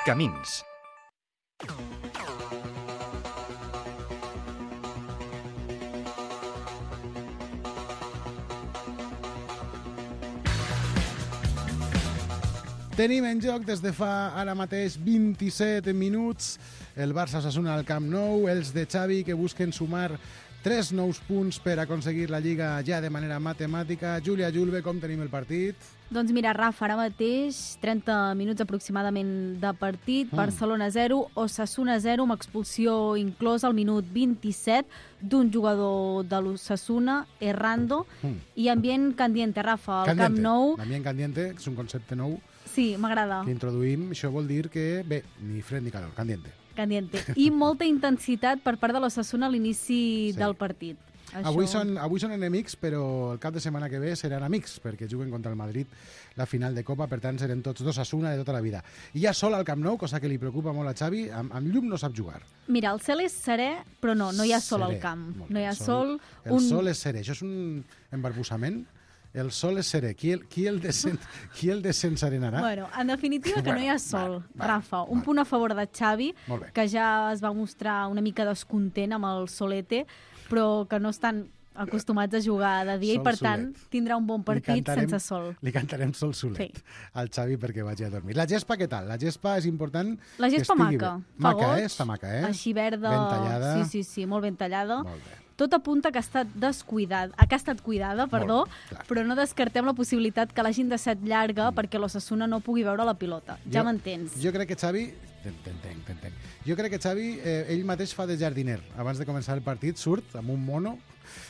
Camins. Tenim en joc des de fa ara mateix 27 minuts el Barça-Osasuna al Camp Nou, els de Xavi que busquen sumar 3 nous punts per aconseguir la Lliga ja de manera matemàtica. Júlia Julve, com tenim el partit? Doncs mira, Rafa, ara mateix 30 minuts aproximadament de partit, Barcelona 0, Osasuna 0, amb expulsió inclosa al minut 27 d'un jugador de l'Osasuna, Errando, i ambient candiente, Rafa, al Camp Nou. L'ambient candiente és un concepte nou. Sí, m'agrada. Que introduïm, això vol dir que, bé, ni fred ni calor, candiente. Candiente. I molta intensitat per part de l'Osasuna a l'inici del partit. Avui són enemics, però el cap de setmana que ve seran amics, perquè juguen contra el Madrid la final de Copa, per tant serem tots d'Osasuna de tota la vida. I ja sol al Camp Nou, cosa que li preocupa molt a Xavi, amb llum no sap jugar. Mira, el cel és serè, però no hi ha sol al camp. No hi ha sol. El sol és serè, això és un embarbussament. El sol és serè. Qui el desenserenarà? Bueno, en definitiva que no hi ha sol, Rafa. Un punt a favor de Xavi, que ja es va mostrar una mica descontent amb el solete, però que no estan acostumats a jugar de dia i, per tant, tindrà un bon partit sense sol. Li cantarem sol solet al Xavi perquè vagi a dormir. La gespa, què tal? La gespa és important que estigui bé. Fa goig. Està maca, eh? Així verda. Ben tallada. Sí, molt ben tallada. Molt bé. Tot apunta que ha estat cuidada, però no descartem la possibilitat que l'hagin deixat llarga perquè l'Osasuna no pugui veure la pilota. Ja m'entens. Jo crec que Xavi... T'entenc. Jo crec que Xavi, ell mateix fa de jardiner. Abans de començar el partit, surt amb un mono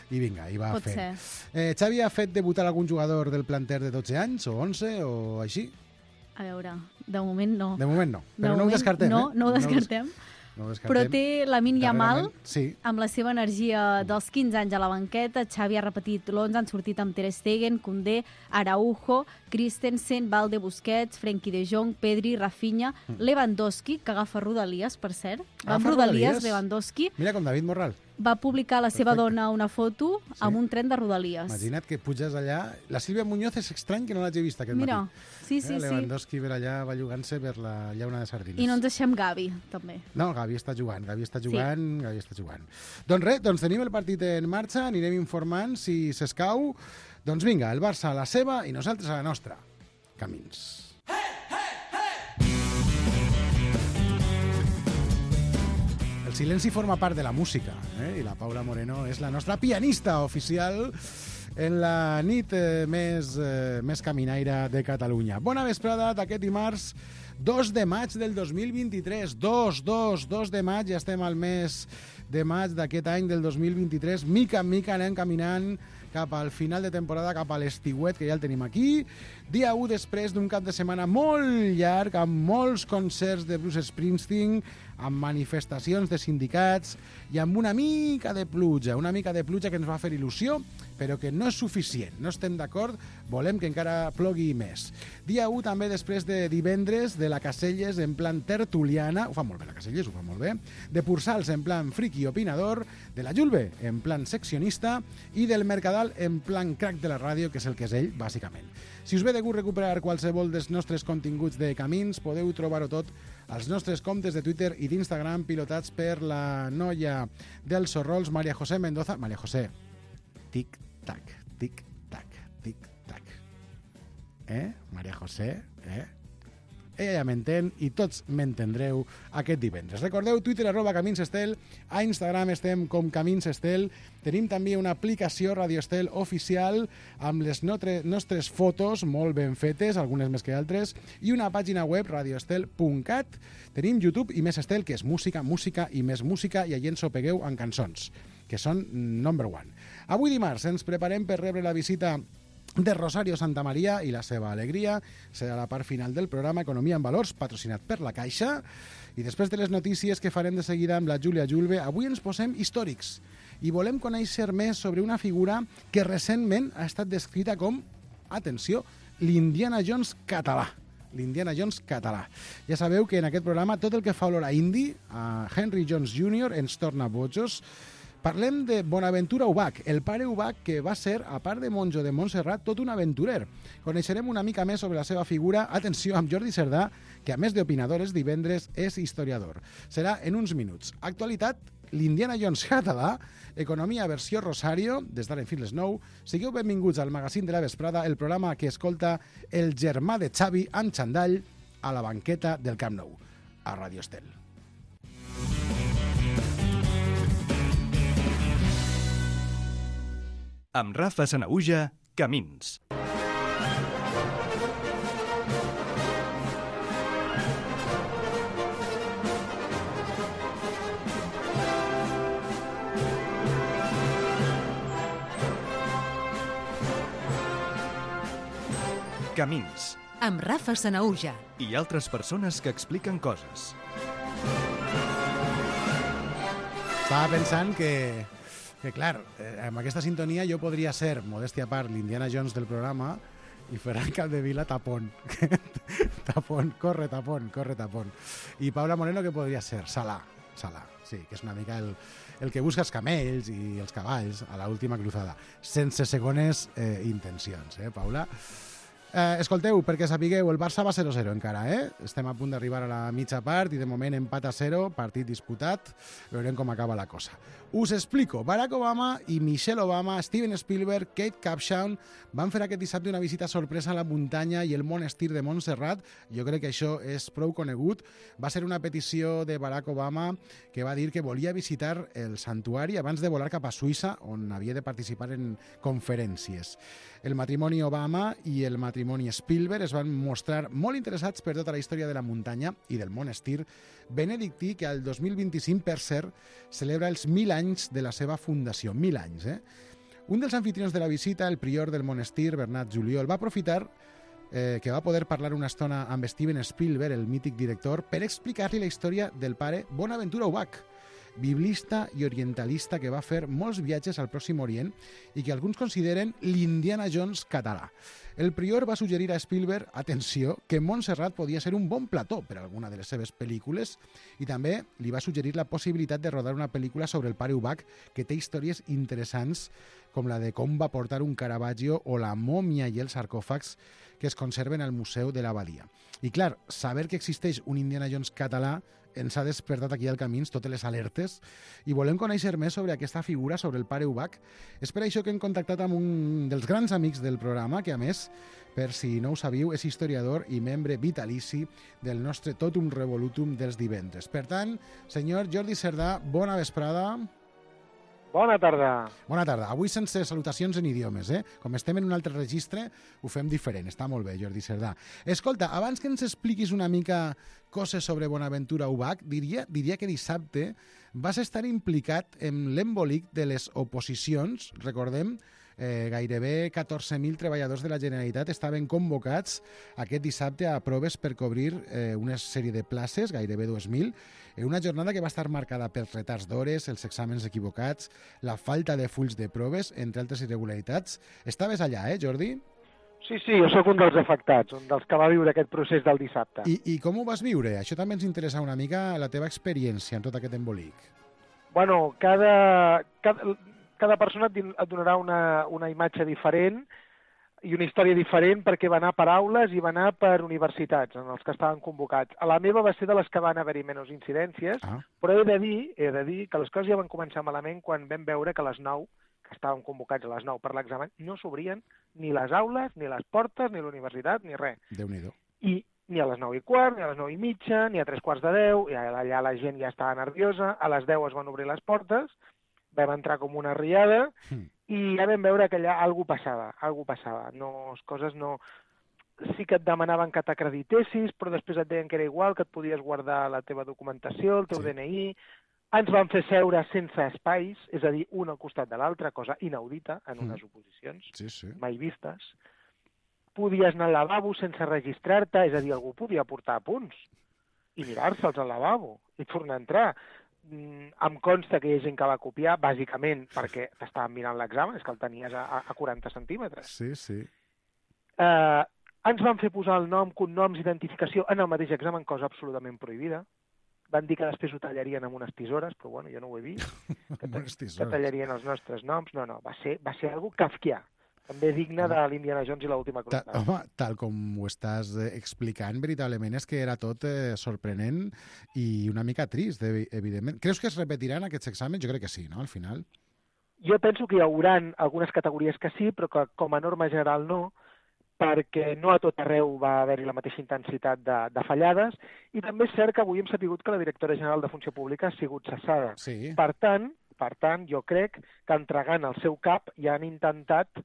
i vinga, i va a fer. Pot ser. Xavi ha fet debutar algun jugador del planter de 12 anys, o 11, o així? A veure, de moment no. De moment no, però no ho descartem. No ho descartem. Però té Lamine Yamal, amb la seva energia dels 15 anys a la banqueta. Xavi ha repetit l'11, han sortit amb Ter Stegen, Koundé, Araujo, Christensen, Valde, Busquets, Frenkie de Jong, Pedri, Rafinha, Lewandowski, que agafa Rodalies, per cert. Va amb Rodalies, Lewandowski. Mira com David Morral. Va publicar la seva dona una foto amb un tren de Rodalies. Imagina't que puges allà. La Sílvia Muñoz és estrany que no l'hagi vist aquest matí. Mira, sí. Lewandowski per allà va jugant-se per la llauna de sardines. I no ens deixem Gavi, també. No, Gavi està jugant. Doncs res, tenim el partit en marxa, anirem informant si s'escau. Doncs vinga, el Barça a la seva i nosaltres a la nostra. Camins. El silenci forma part de la música, i la Paula Moreno és la nostra pianista oficial en la nit més caminaire de Catalunya. Bona vesprada d'aquest dimarts 2 de maig del 2023. 2 de maig, ja estem al mes de maig d'aquest any del 2023. Mica en mica anem caminant cap al final de temporada, cap a l'estiuet, que ja el tenim aquí. Dia 1 després d'un cap de setmana molt llarg, amb molts concerts de Bruce Springsteen, amb manifestacions de sindicats i amb una mica de pluja que ens va fer il·lusió, però que no és suficient. No estem d'acord, volem que encara plogui més. Dia 1 també després de divendres de la Caselles en plan tertuliana, ho fa molt bé la Caselles, ho fa molt bé, de Pursals en plan friki opinador, de la Julve en plan seccionista i del Mercadal en plan crack de la ràdio, que és el que és ell, bàsicament. Si us ve de gust recuperar qualsevol dels nostres continguts de Camins, podeu trobar-ho tot als nostres comptes de Twitter i d'Instagram pilotats per la noia dels Sorrols, María José Mendoza. María José, tic-tac, tic-tac, tic-tac. María José, Ella ja m'entén i tots m'entendreu aquest divendres. Recordeu, Twitter @CaminsEstel, a Instagram estem com CaminsEstel, tenim també una aplicació Radio Estel oficial amb les nostres fotos molt ben fetes, algunes més que altres, i una pàgina web, radioestel.cat. Tenim YouTube i Més Estel, que és música, música i més música, i allà ens ho pegueu en cançons, que són number one. Avui dimarts ens preparem per rebre la visita de Rosario Santamaría i la seva alegria. Serà la part final del programa Economia en Valors, patrocinat per la Caixa. I després de les notícies que farem de seguida amb la Júlia Julve, avui ens posem històrics i volem conèixer més sobre una figura que recentment ha estat descrita com, atenció, l'Indiana Jones català. L'Indiana Jones català. Ja sabeu que en aquest programa tot el que fa olor a indi, a Henry Jones Jr., ens torna bojos. Parlem de Bonaventura Ubach, el pare Ubach que va ser, a part de monjo de Montserrat, tot un aventurer. Coneixerem una mica més sobre la seva figura, atenció, amb Jordi Cerdà, que a més d'opinadores divendres és historiador. Serà en uns minuts. Actualitat, l'Indiana Jones català, economia versió Rosario, des d'ara fins les 9. Sigueu benvinguts al magazín de la vesprada, el programa que escolta el germà de Xavi amb xandall a la banqueta del Camp Nou, a Radio Estel. Amb Rafa Sanahuja, Camins. Camins. Amb Rafa Sanahuja. I altres persones que expliquen coses. Estava pensant que clar, amb aquesta sintonia jo podria ser, modèstia a part, l'Indiana Jones del programa i Ferran Capdevila tapón. Tapón, corre tapón. I Paula Moreno, que podria ser? Salà, sí, que és una mica el que busca els camells i els cavalls a l'última cruzada. Sense segones intencions, Paula? Escolteu, perquè sapigueu, el Barça va 0-0 encara, Estem a punt d'arribar a la mitja part i de moment empat a 0, partit disputat. Veurem com acaba la cosa. Us explico. Barack Obama i Michelle Obama, Steven Spielberg, Kate Capshaw van fer aquest dissabte una visita sorpresa a la muntanya i el monestir de Montserrat. Jo crec que això és prou conegut. Va ser una petició de Barack Obama que va dir que volia visitar el santuari abans de volar cap a Suïssa, on havia de participar en conferències. El matrimoni Obama i el matrimoni Spielberg es van mostrar molt interessats per tota la història de la muntanya i del monestir benedictí, que al 2025, per cert, celebra els 1.000 anys de la seva fundació. 1.000 anys, Un dels anfitrions de la visita, el prior del monestir, Bernat Juliol, va aprofitar que va poder parlar una estona amb Steven Spielberg, el mític director, per explicar-li la història del pare Bonaventura Ubach, biblista i orientalista que va fer molts viatges al Pròxim Orient i que alguns consideren l'Indiana Jones català. El prior va suggerir a Spielberg, atenció, que Montserrat podia ser un bon plató per a alguna de les seves pel·lícules i també li va suggerir la possibilitat de rodar una pel·lícula sobre el pare Ubach que té històries interessants com la de com va portar un Caravaggio o la mòmia i els sarcòfags que es conserven al Museu de l'Abadia. I clar, saber que existeix un Indiana Jones català ens ha despertat aquí al Camins totes les alertes i volem conèixer més sobre aquesta figura, sobre el pare Ubach. És per això que hem contactat amb un dels grans amics del programa, que a més, per si no ho sabíeu, és historiador i membre vitalici del nostre Totum Revolutum dels divendres. Per tant, senyor Jordi Cerdà, bona vesprada. Bona tarda. Bona tarda. Avui sense salutacions en idiomes, Com estem en un altre registre, ho fem diferent. Està molt bé, Jordi Cerdà. Escolta, abans que ens expliquis una mica coses sobre Bonaventura Ubach, diria que dissabte vas estar implicat en l'embolic de les oposicions. Recordem, gairebé 14.000 treballadors de la Generalitat estaven convocats aquest dissabte a proves per cobrir una sèrie de places, gairebé 2.000, en una jornada que va estar marcada pels retards d'hores, els exàmens equivocats, la falta de fulls de proves, entre altres irregularitats. Estaves allà, Jordi? Sí, jo sóc un dels afectats, un dels que va viure aquest procés del dissabte. I com ho vas viure? Això també ens interessa una mica la teva experiència en tot aquest embolic. Bueno, cada persona et donarà una imatge diferent i una història diferent perquè va anar per aules i va anar per universitats en els que estaven convocats. A la meva va ser de les que van haver-hi menys incidències, però he de dir que les coses ja van començar malament quan vam veure que a les 9, que estàvem convocats a les 9 per l'examen, no s'obrien ni les aules, ni les portes, ni la universitat, ni res. Déu-n'hi-do. I ni a les 9:15, ni a les 9:30, ni a 3:45, i allà la gent ja estava nerviosa, a les 10 es van obrir les portes, vam entrar com una riada i ja vam veure que allà alguna passava. Sí que et demanaven que t'acreditessis, però després et deien que era igual, que et podies guardar la teva documentació, el teu DNI. Ens van fer seure sense espais, és a dir, un al costat de l'altre, cosa inaudita en unes oposicions, mai vistes. Podies anar al lavabo sense registrar-te, és a dir, algú podia portar apunts i mirar-se'ls al lavabo i tornar a entrar. Em consta que hi ha gent que va copiar, bàsicament perquè t'estaven mirant l'examen, és que el tenies a 40 centímetres. Sí. Ens van fer posar el nom, cognoms, identificació en el mateix examen, cosa absolutament prohibida. Van dir que després ho tallarien amb unes tisores, però bueno, jo no ho he vist. Que tallarien els nostres noms. No, va ser algo kafkià. També digne de l'Indiana Jones i l'última cruzada. Home, tal com ho estàs explicant, veritablement és que era tot sorprenent i una mica trist, evidentment. Creus que es repetiran aquests exàmens? Jo crec que sí, no?, al final. Jo penso que hi haurà algunes categories que sí, però que com a norma general no, perquè no a tot arreu va haver-hi la mateixa intensitat de fallades, i també és cert que avui hem sabut que la directora general de Funció Pública ha sigut cessada. Sí. Per tant, jo crec que entregant el seu cap ja han intentat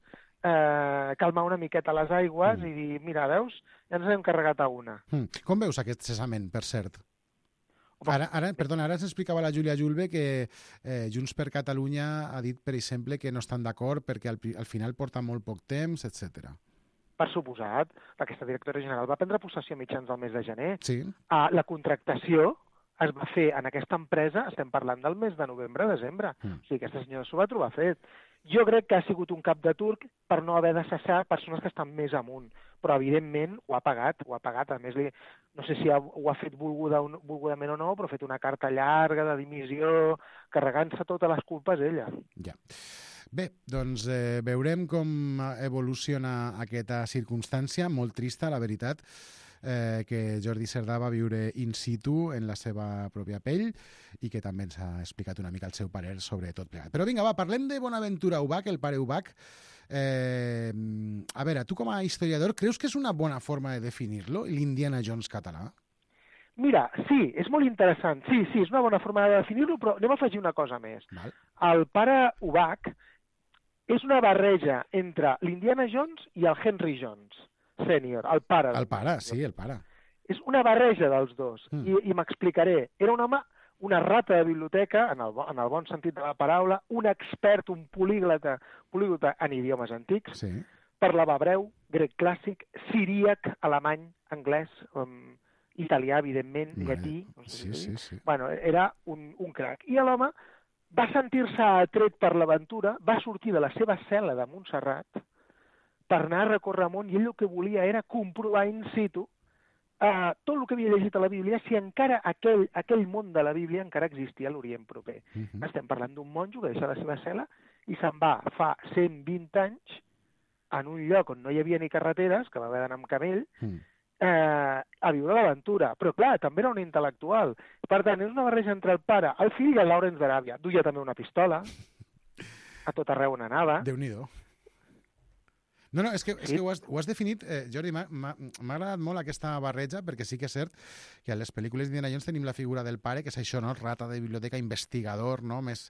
calmar una miqueta les aigües i dir, mira, veus, ja ens hem carregat a una. Com veus aquest cessament, per cert? Ara ens explicava la Júlia Julve que Junts per Catalunya ha dit, per exemple, que no estan d'acord perquè al final porta molt poc temps, etc. Per suposat, aquesta directora general va prendre possessió a mitjans del mes de gener. Sí. La contractació es va fer en aquesta empresa, estem parlant del mes de novembre-desembre. O sigui, aquesta senyora s'ho va trobar fet. Jo crec que ha sigut un cap de turc per no haver de cessar persones que estan més amunt, però evidentment ho ha pagat. A més, no sé si ho ha fet volgudament o no, però ha fet una carta llarga de dimissió, carregant-se totes les culpes ella. Ja. Bé, doncs veurem com evoluciona aquesta circumstància, molt trista, la veritat, que Jordi Cerdà va viure in situ en la seva pròpia pell i que també ens ha explicat una mica el seu parer sobre tot plegat. Però vinga, va, parlem de Bonaventura Ubach, el pare Ubach. A veure, tu com a historiador, creus que és una bona forma de definir-lo, l'Indiana Jones català? Mira, sí, és molt interessant. Sí, és una bona forma de definir-lo, però anem a afegir una cosa més. Val. El pare Ubach és una barreja entre l'Indiana Jones i el Henry Jones Sènior, el pare. El pare, sí, el pare. És una barreja dels dos, i m'explicaré. Era un home, una rata de biblioteca, en el bon sentit de la paraula, un expert, un políglota en idiomes antics, sí. Parlava hebreu, grec clàssic, siríac, alemany, anglès, italià, evidentment, llatí. No sé sí. Bueno, era un crac. I l'home va sentir-se atret per l'aventura, va sortir de la seva cel·la de Montserrat per anar a recórrer el món, i ell el que volia era comprovar in situ tot el que havia llegit a la Bíblia, si encara aquell món de la Bíblia encara existia a l'Orient proper. Estem parlant d'un monjo que deixa la seva cel·la i se'n va fa 120 anys en un lloc on no hi havia ni carreteres, que va haver d'anar amb camell, a viure l'aventura. Però clar, també era un intel·lectual. Per tant, és una barreja entre el pare, el fill i el Lawrence d'Aràbia. Duia també una pistola, a tot arreu on anava. Déu-n'hi-do. No, és que ho has definit, Jordi, m'ha agradat molt aquesta barreja, perquè sí que és cert que a les pel·lícules d'Indiana Jones tenim la figura del pare, que és això, no? Rata de biblioteca, investigador, no? Més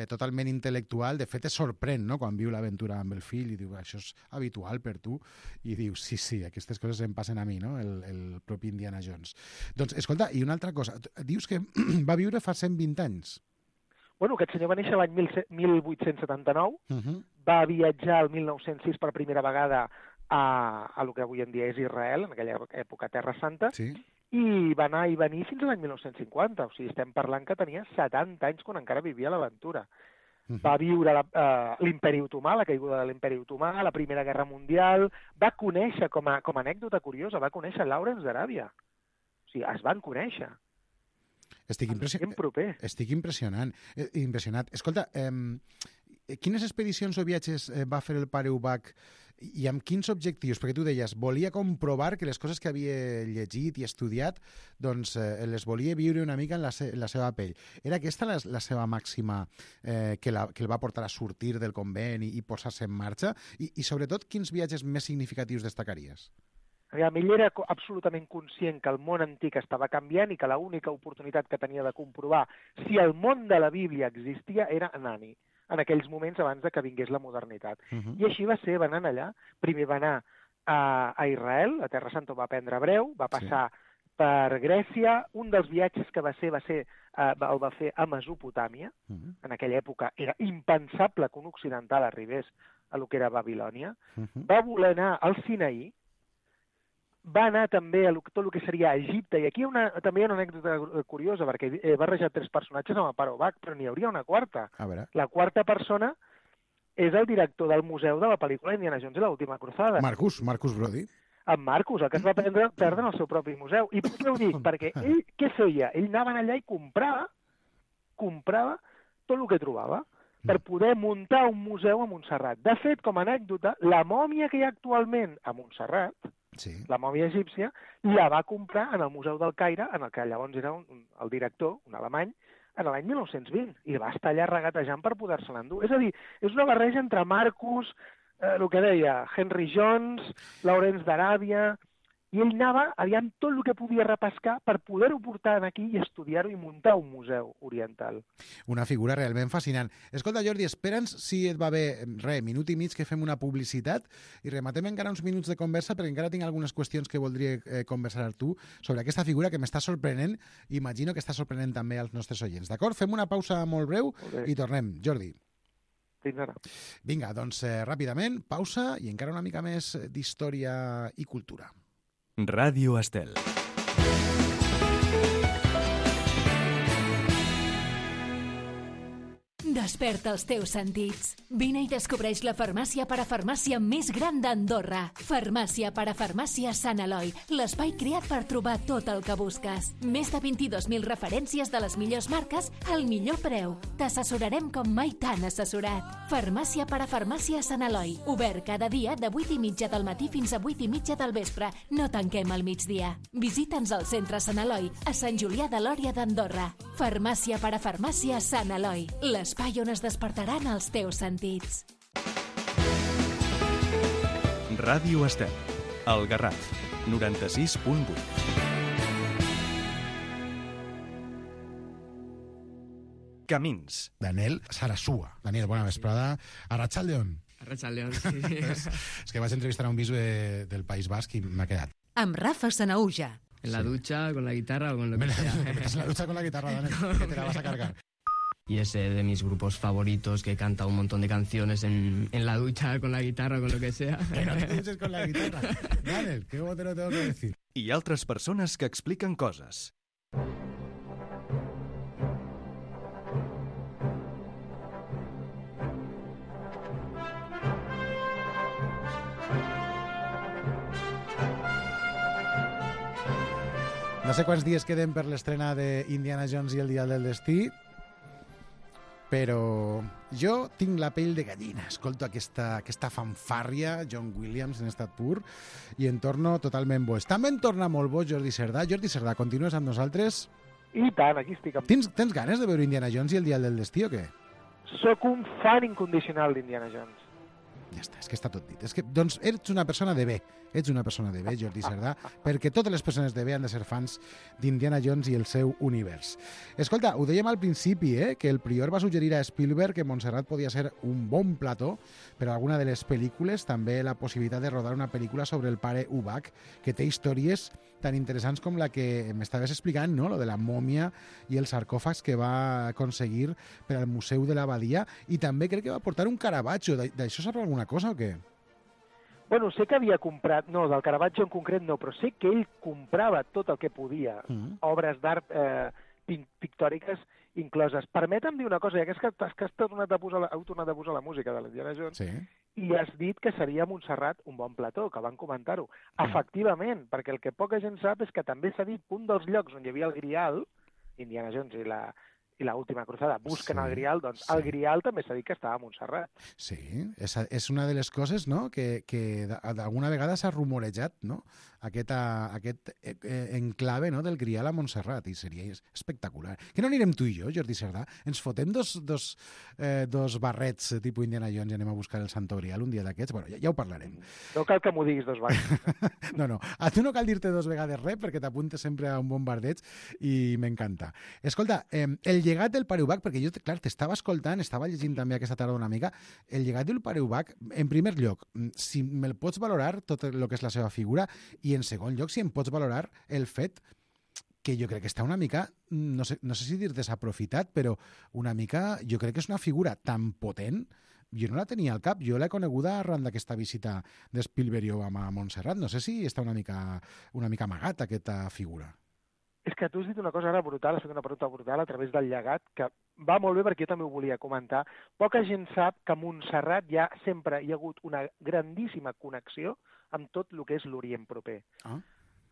totalment intel·lectual. De fet, es sorprèn, no?, quan viu l'aventura amb el fill i diu, això és habitual per tu, i diu, sí, aquestes coses em passen a mi, no?, el propi Indiana Jones. Doncs, escolta, i una altra cosa, dius que va viure fa 120 anys. Bueno, aquest senyor va néixer l'any 1879, va viatjar el 1906 per primera vegada a lo que avui en dia és Israel, en aquella època Terra Santa, sí. I va anar i venir fins a l'any 1950. O sigui, estem parlant que tenia 70 anys quan encara vivia l'aventura. Va viure l'Imperi Otomà, la caiguda de l'Imperi Otomà, la Primera Guerra Mundial, va conèixer, com a anècdota curiosa, va conèixer Lawrence d'Aràbia. O sigui, es van conèixer. Estic impressionat. Escolta, quines expedicions o viatges va fer el pare Ubach i amb quins objectius? Perquè tu deies, volia comprovar que les coses que havia llegit i estudiat doncs les volia viure una mica en la seva pell. Era aquesta la seva màxima que el va portar a sortir del convent i posar-se en marxa? I sobretot, quins viatges més significatius destacaries? Ell era absolutament conscient que el món antic estava canviant i que l'única oportunitat que tenia de comprovar si el món de la Bíblia existia era anar-hi, en aquells moments abans de que vingués la modernitat. I així va ser, va anar allà. Primer va anar a Israel, a Terra Santa va aprendre hebreu, va passar per Grècia. Un dels viatges que va fer a Mesopotàmia. En aquella època era impensable que un occidental arribés a lo que era Babilònia. Va voler anar al Sinaí, va anar també a tot el que seria Egipte, i aquí també hi ha una anècdota curiosa, perquè he barrejat 3 personatges amb el pare Ubach, però n'hi hauria una quarta. La quarta persona és el director del museu de la pel·lícula Indiana Jones i l'última cruzada. Marcus Brody. en Marcus, el que es va perdre en el seu propi museu. I per què ho dic? Perquè ell què feia? Ell anava allà i comprava tot el que trobava per poder muntar un museu a Montserrat. De fet, com a anècdota, la mòmia que hi ha actualment a Montserrat, la mòmia egípcia, la va comprar en el Museu del Caire, en el que llavors era el director, un alemany, en l'any 1920, i va estar allà regatejant per poder-se-la endur. És a dir, és una barreja entre Marcus, el que deia Henry Jones, Lawrence d'Aràbia, i ell anava aviam tot el que podia repescar per poder-ho portar aquí i estudiar-ho i muntar un museu oriental. Una figura realment fascinant. Escolta, Jordi, espera'ns si et va bé, minut i mig que fem una publicitat i rematem encara uns minuts de conversa perquè encara tinc algunes qüestions que voldria conversar amb tu sobre aquesta figura que m'està sorprenent i imagino que està sorprenent també als nostres oients. D'acord? Fem una pausa molt breu i tornem. Jordi. Fins ara. Vinga, doncs ràpidament, pausa i encara una mica més d'història i cultura. Ràdio Estel. Desperta els teus sentits. Vine i descobreix la farmàcia parafarmàcia més gran d'Andorra. Farmàcia parafarmàcia Sant Eloi, l'espai creat per trobar tot el que busques. Més de 22.000 referències de les millors marques al millor preu. T'assessorarem com mai t'han assessorat. Farmàcia parafarmàcia Sant Eloi, obert cada dia de 8:30 del matí fins a 8:30 del vespre. No tanquem al migdia. Visita'ns al centre Sant Eloi, a Sant Julià de Lòria d'Andorra. Farmàcia parafarmàcia Sant Eloi, l'espai on es despertaran els teus sentits. Ràdio Estel, el Garraf, 96.8. Camins. Daniel Sarasua. Daniel, bona vesprada. Arratsaldeon. Arratsaldeon, sí. És que vaig entrevistar a un viso del País Basc i m'ha quedat. Amb Rafa Sanaúja. En la ducha, con la guitarra o con lo que sea. En la ducha con la guitarra, Daniel, que te la vas a cargar. Y es de mis grupos favoritos, que canta un montón de canciones en la ducha, con la guitarra o con lo que sea. Que no te duches con la guitarra. Daniel, ¿qué te lo tengo que decir? I altres persones que expliquen coses. No sé quants dies queden per l'estrena d'Indiana Jones i el Dial del Destí, però jo tinc la pell de gallina. Escolto aquesta fanfàrria, John Williams en estat pur, i en torno totalment boig. També en torna molt boig Jordi Cerdà. Jordi Cerdà, continues amb nosaltres? I tant, aquí estic. Tens ganes de veure Indiana Jones i el Dial del Destí o què? Soc un fan incondicional d'Indiana Jones. Ja està, és que està tot dit. És que, doncs, ets una persona de bé. Ets una persona de bé, Jordi Cerdà, perquè totes les persones de bé han de ser fans d'Indiana Jones i el seu univers. Escolta, ho dèiem al principi, que el prior va suggerir a Spielberg que Montserrat podia ser un bon plató per a alguna de les pel·lícules, també la possibilitat de rodar una pel·lícula sobre el pare Ubach, que té històries tan interessants com la que m'estaves explicant, no? Lo de la mòmia i els sarcòfags que va aconseguir per al Museu de l'Abadia, i també crec que va portar un Caravaggio. D'això saps alguna cosa o què? Bueno, sé que havia comprat, no, del Caravaggio en concret no, però sé que ell comprava tot el que podia, obres d'art pictòriques incloses. Permetem dir una cosa, ja que has tornat a posar la música de l'Indiana Jones, sí, i has dit que seria Montserrat un bon plató, que van comentar-ho. Efectivament, perquè el que poca gent sap és que també s'ha dit un dels llocs on hi havia el Grial, Indiana Jones i l'última cruzada busquen el Grial, doncs el Grial també s'ha dit que estava a Montserrat. Sí, és una de les coses, no?, que d'alguna vegada s'ha rumorejat, no?, aquest enclave, no?, del Grial a Montserrat, i seria espectacular. Que no anirem tu i jo, Jordi Cerdà? Ens fotem dos barrets tipus Indiana Jones i anem a buscar el Santo Grial un dia d'aquests? Bueno, ja ho parlarem. No cal que m'ho diguis dos vegades. No, a tu no cal dir-te dos vegades res perquè t'apuntes sempre a un bombardeig i m'encanta. Escolta, el llegat del pare Ubach, perquè jo, clar, t'estava escoltant, estava llegint també aquesta tarda una mica, el llegat del pare Ubach, en primer lloc, si me'l pots valorar tot el que és la seva figura, i en segon lloc, si em pots valorar el fet que jo crec que està una mica, no sé si dir desaprofitat, però una mica, jo crec que és una figura tan potent, jo no la tenia al cap, jo l'he coneguda arran d'aquesta visita de Spielberg i Obama a Montserrat, no sé si està una mica amagat aquesta figura. És que tu has dit una cosa ara brutal, has fet una pregunta brutal a través del llegat, que va molt bé perquè jo també ho volia comentar. Poca gent sap que a Montserrat sempre hi ha hagut una grandíssima connexió amb tot el que és l'Orient proper.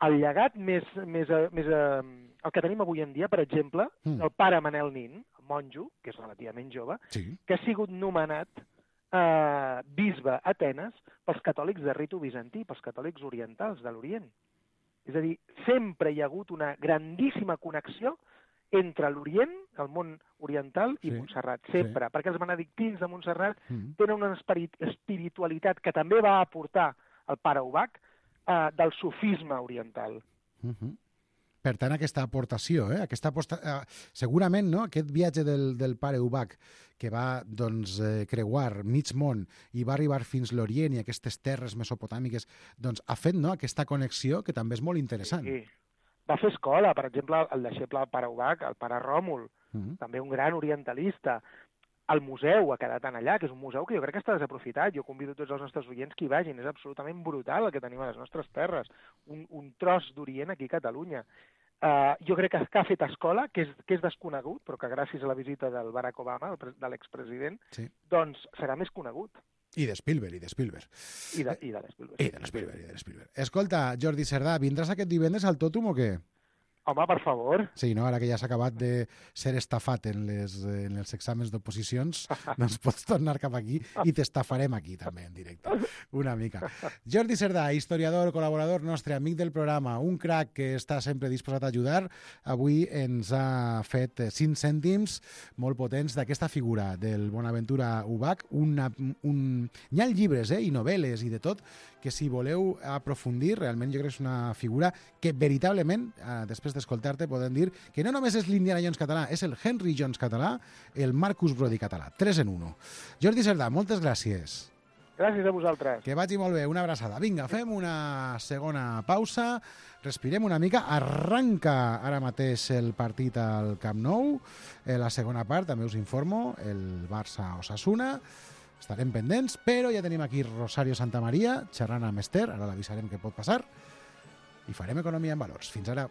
El llegat el que tenim avui en dia, per exemple, el pare Manel Nin, el monjo, que és relativament jove, que ha sigut nomenat bisbe a Atenes pels catòlics de ritu bizantí, pels catòlics orientals de l'Orient. És a dir, sempre hi ha hagut una grandíssima connexió entre l'Orient, el món oriental, i Montserrat, sempre, perquè els benedictins de Montserrat tenen una espiritualitat que també va aportar el pare Ubach del sufisme oriental. Per tant, aquesta aportació, segurament, no? Aquest viatge del pare Ubach que va creuar mig món i va arribar fins l'Orient i aquestes terres mesopotàmiques, ha fet aquesta connexió que també és molt interessant. Sí. Va fer escola, per exemple, el deixeble del pare Ubach, el pare Ròmul, també un gran orientalista. El museu ha quedat allà, que és un museu que jo crec que està desaprofitat. Jo convido tots els nostres oients que hi vagin. És absolutament brutal el que tenim a les nostres terres. Un tros d'Orient aquí a Catalunya. Jo crec que ha fet escola, que és desconegut, però que gràcies a la visita del Barack Obama, de l'expresident, doncs serà més conegut. I de Spielberg. I de Spielberg. Escolta, Jordi Cerdà, vindràs aquest divendres al Tòtum o què? Home, per favor. Sí, no? Ara que ja s'ha acabat de ser estafat en els exàmens d'oposicions, doncs pots tornar cap aquí i t'estafarem aquí també en directe, una mica. Jordi Cerdà, historiador, col·laborador nostre, amic del programa, un crac que està sempre disposat a ajudar, avui ens ha fet 5 cèntims molt potents d'aquesta figura del Bonaventura Ubach. Hi ha llibres i novel·les i de tot, que si voleu aprofundir, realment jo crec que és una figura que veritablement, després d'escoltar-te, podem dir que no només és l'Indiana Jones català, és el Henry Jones català, el Marcus Brody català. 3 en 1. Jordi Cerdà, moltes gràcies. Gràcies a vosaltres. Que vagi molt bé, una abraçada. Vinga, fem una segona pausa, respirem una mica, arranca ara mateix el partit al Camp Nou, la segona part, també us informo, el Barça-Osasuna, estarem pendents, però ja tenim aquí Rosario Santamaría, xerrant amb Esther, ara l'avisarem què pot passar, i farem Economia en Valors. Fins ara.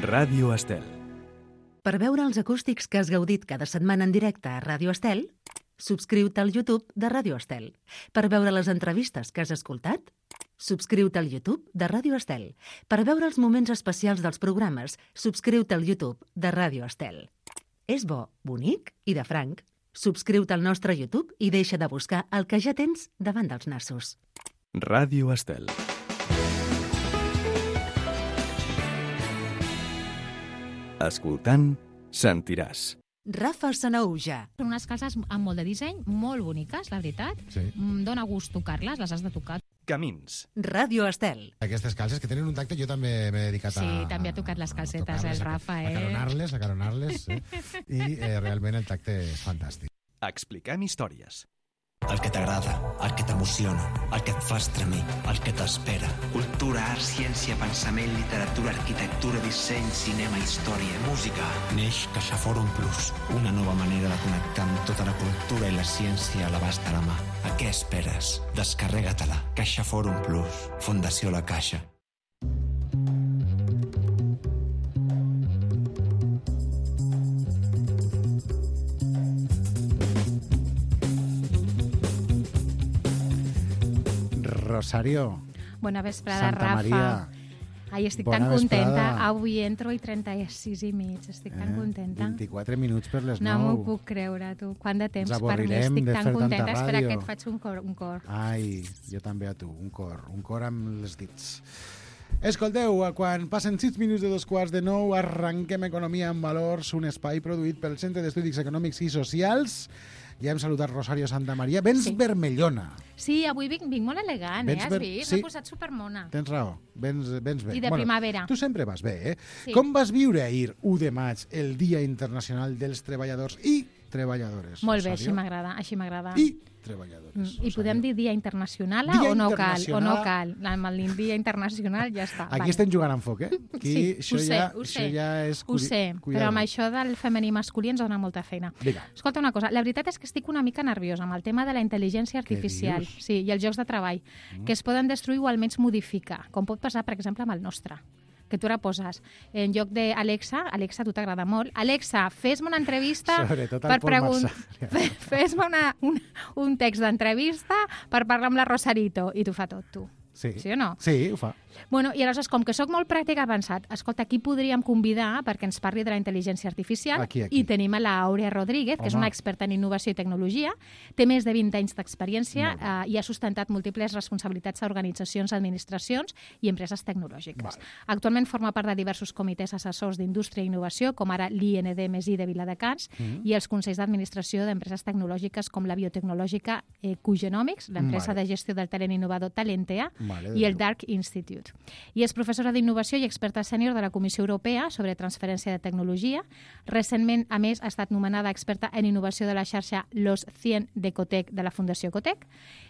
Ràdio Estel. Per veure els acústics que has gaudit cada setmana en directe a Ràdio Estel, subscriu-te al YouTube de Ràdio Estel. Per veure les entrevistes que has escoltat, subscriu-te al YouTube de Ràdio Estel. Per veure els moments especials dels programes, subscriu-te al YouTube de Ràdio Estel. És bo, bonic i de franc. Subscriu-te al nostre YouTube i deixa de buscar el que ja tens davant dels nassos. Ràdio Estel. Escoltant, sentiràs. Rafa Sanaúja. Són unes calces amb molt de disseny, molt boniques, la veritat. Sí. Dóna gust tocar-les, les has de tocar. Camins. Ràdio Estel. Aquestes calces que tenen un tacte, jo també m'he dedicat a... Sí, també ha tocat les calcetes, el Rafa, A caronar-les, i realment el tacte és fantàstic. Expliquem històries. El que t'agrada, el que t'emociona, el que et fa estremir, el que t'espera. Cultura, art, ciència, pensament, literatura, arquitectura, disseny, cinema, història, música. Neix CaixaForum Plus, una nova manera de connectar amb tota la cultura i la ciència a l'abast de la mà. A què esperes? Descarrega-te-la. CaixaForum Plus, Fundació La Caixa. Rosario. Bona vesprada, Santa Rafa. Maria. Ai, estic Bona tan contenta. vesprada. Avui entro i 36 i mig. Estic tan contenta. 24 minuts per les 9. No m'ho puc creure, tu. Quant de temps Ens per mi. avorrirem Estic de tan fer tanta contenta. Espera ràdio. que et faig un cor. Ai, jo també a tu. Un cor amb les dits. Escolteu, quan passen 6 minuts de 2:15, arranquem Economia en Valors, un espai produït pel Centre d'Estudis Econòmics i Socials. Ja hem saludat Rosario Santamaría. Vens vermellona. Sí, avui vinc molt elegant, Vens has vist? sí. M'he posat supermona. Tens raó, vens bé. I de primavera. Tu sempre vas bé, Sí. Com vas viure ahir, 1 de maig, el Dia Internacional dels Treballadors? I treballadores. Molt bé, així m'agrada. I treballadores. I podem dir Dia Internacional o no cal? O no cal? Amb el Dia Internacional ja està. Aquí estem jugant amb foc, Sí, ho sé, però amb això del femení masculí ens dona molta feina. Escolta una cosa, la veritat és que estic una mica nerviosa amb el tema de la intel·ligència artificial i els llocs de treball, que es poden destruir o almenys modificar, com pot passar, per exemple, amb el nostre. Que tu ara poses en lloc d'Alexa, Alexa, a tu t'agrada molt, Alexa, fes-me una entrevista fes-me un text d'entrevista per parlar amb la Rosarito, i t'ho fa tot, tu. Sí o no? Sí, ho fa. Bueno, i aleshores, com que sóc molt pràctic, he pensat, escolta, aquí podríem convidar perquè ens parli de la intel·ligència artificial, i tenim a l'Àurea Rodríguez, que és una experta en innovació i tecnologia, té més de 20 anys d'experiència i ha sustentat múltiples responsabilitats a organitzacions, administracions i empreses tecnològiques. Actualment forma part de diversos comitès assessors d'indústria i innovació, com ara l'IND+I de Viladecans, i els consells d'administració d'empreses tecnològiques com la biotecnològica Q-Genomics, l'empresa de gestió del talent innovador Talentea, i el Dark Institute. I és professora d'innovació i experta sènior de la Comissió Europea sobre transferència de tecnologia. Recentment, a més, ha estat nomenada experta en innovació de la xarxa Los 100 de Cotec de la Fundació Cotec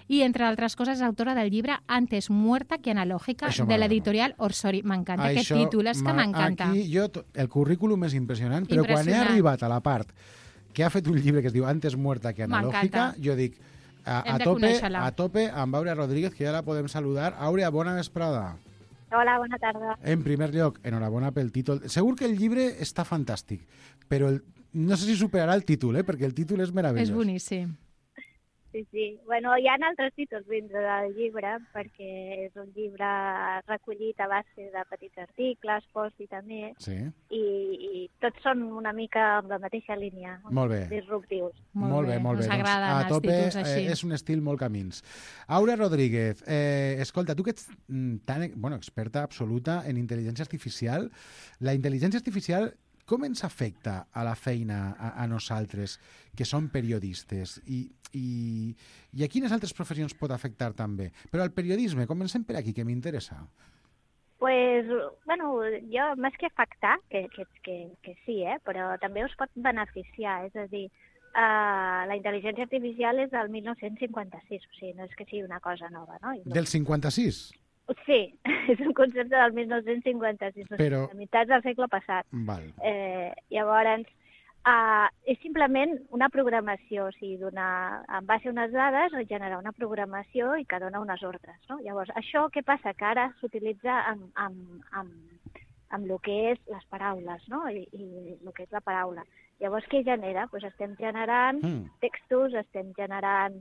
i, entre altres coses, és autora del llibre Antes muerta que analógica de l'editorial Orsori. M'encanta aquest títol, és que m'encanta. Aquí el currículum és impressionant, però quan he arribat a la part que ha fet un llibre que es diu Antes muerta que analógica, jo dic a tope amb Àurea Rodríguez, que ja la podem saludar. Àurea, bona vesprada. Hola, bona tarda. En primer lloc, enhorabona pel títol. Segur que el llibre està fantàstic, però no sé si superarà el títol, perquè el títol és meravellós. És boníssim. Sí. Bueno, hi ha altres títols dintre del llibre, perquè és un llibre recollit a base de petits articles, posts i també, i tots són una mica amb la mateixa línia, disruptius. Molt bé. Ens agraden els títols així. És un estil molt camins. Àurea Rodríguez, escolta, tu que ets experta absoluta en intel·ligència artificial, la intel·ligència artificial com ens afecta a la feina a nosaltres, que som periodistes? I a quines altres professions pot afectar també? Però al periodisme, comencem per aquí, que m'interessa. Pues, jo, més que afectar, que sí, però també us pot beneficiar. És a dir, la intel·ligència artificial és del 1956, o sigui, no és que sigui una cosa nova, no? Del 56? Sí, és un concepte del 1956, però... a meitat del segle passat. Llavors, és simplement una programació, o sigui, en base a unes dades, generar una programació i que dona unes ordres, no? Llavors, això què passa? Que ara s'utilitza amb el que és les paraules, no? I el que és la paraula. Llavors, què genera? Doncs estem generant textos, estem generant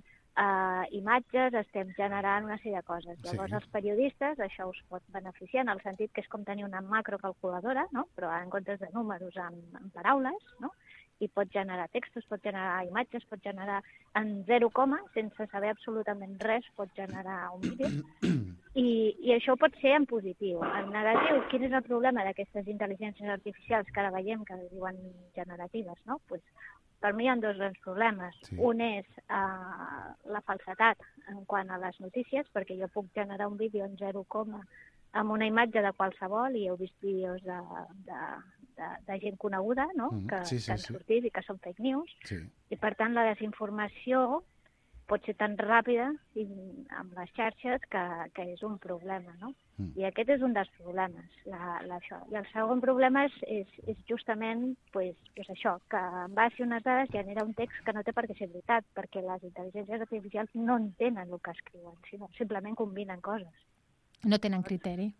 imatges, estem generant una sèrie de coses. Llavors, els periodistes, això us pot beneficiar en el sentit que és com tenir una macrocalculadora, no? Però en comptes de números en paraules, no? I pot generar textos, pot generar imatges, pot generar en 0, sense saber absolutament res, pot generar un vídeo. I això pot ser en positiu. En negatiu, quin és el problema d'aquestes intel·ligències artificials que ara veiem que es diuen generatives, no? Pues, per mi hi ha dos grans problemes. Un és la falsedat en quant a les notícies, perquè jo puc generar un vídeo en 0, amb una imatge de qualsevol, i heu vist vídeos de gent coneguda, no? Que han sortit i que són fake news. I per tant la desinformació pot ser tan ràpida amb les xarxes que és un problema, no? I aquest és un dels problemes, això. I el segon problema és justament això, que en base a unes dades genera un text que no té per què ser veritat, perquè les intel·ligències artificials no entenen el que escriuen, sinó simplement combinen coses. No tenen criteri.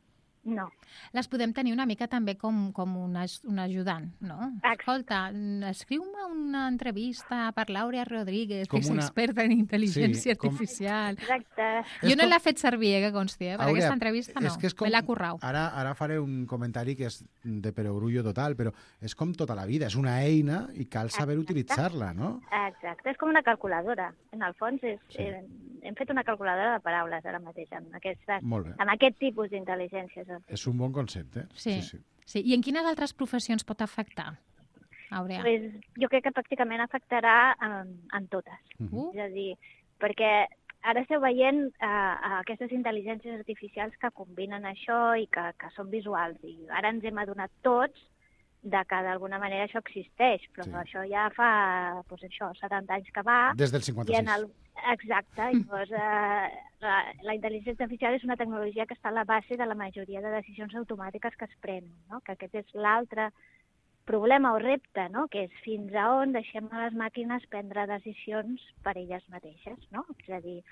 No. Les podem tenir una mica també com un ajudant, no? Escolta, escriu-me una entrevista per l'Àurea Rodríguez, que és experta en intel·ligència artificial. Exacte. Jo no l'he fet servir, que consti, per aquesta entrevista no, me l'ha currau. Ara faré un comentari que és de perogrullo total, però és com tota la vida, és una eina i cal saber utilitzar-la, no? Exacte, és com una calculadora. En el fons hem fet una calculadora de paraules ara mateix, amb aquest tipus d'intel·ligències. És un bon concepte. Sí. I en quines altres professions pot afectar, Àurea? Jo crec que pràcticament afectarà en totes. És a dir, perquè ara esteu veient aquestes intel·ligències artificials que combinen això i que són visuals. I ara ens hem adonat tots que d'alguna manera això existeix, però això ja fa 70 anys que va. Des del 56. Exacte, i llavors la intel·ligència artificial és una tecnologia que està a la base de la majoria de decisions automàtiques que es prenen, no? Que aquest és l'altre problema o repte, no? Que és fins a on deixem a les màquines prendre decisions per elles mateixes, no? És a dir,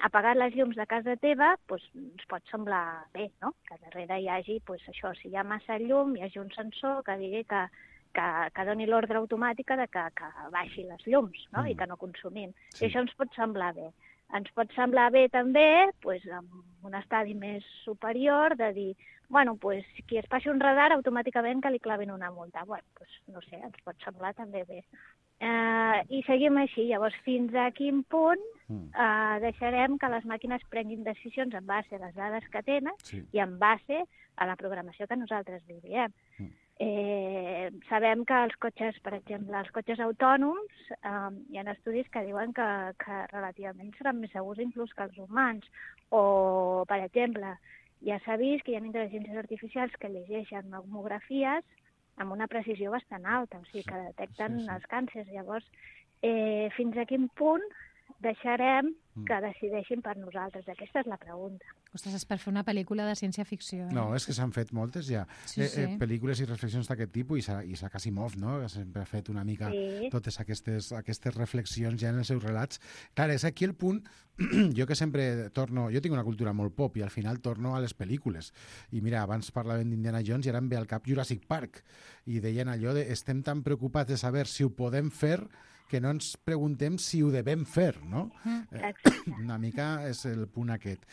apagar les llums de casa teva ens pot semblar bé, no? Que darrere hi hagi, això, si hi ha massa llum, hi hagi un sensor que digui que doni l'ordre automàtica de que baixi les llums, no? I que no consumim. I això ens pot semblar bé. Ens pot semblar bé també, amb un estadi més superior, de dir, qui es passi un radar, automàticament que li clavin una multa. No sé, ens pot semblar també bé. I seguim així. Llavors, fins a quin punt deixarem que les màquines prenguin decisions en base a les dades que tenen i en base a la programació que nosaltres li diem. Sabem que els cotxes, per exemple, els cotxes autònoms, hi ha estudis que diuen que relativament seran més segurs inclús que els humans. O, per exemple, ja s'ha vist que hi ha intel·ligències artificials que llegeixen mamografies amb una precisió bastant alta, o sigui, que detecten els càncers. Llavors, fins a quin punt deixarem que decideixin per nosaltres? Aquesta és la pregunta. Ostres, és per fer una pel·lícula de ciència-ficció. No, és que s'han fet moltes ja. Pel·lícules i reflexions d'aquest tipus, i Isaac Asimov, no? Que sempre ha fet una mica totes aquestes reflexions ja en els seus relats. Clar, és aquí el punt, jo que sempre torno... Jo tinc una cultura molt pop i al final torno a les pel·lícules. I mira, abans parlaven d'Indiana Jones i ara em ve al cap Jurassic Park. I deien allò de estem tan preocupats de saber si ho podem fer que no ens preguntem si ho devem fer, no? Una mica és el punt aquest.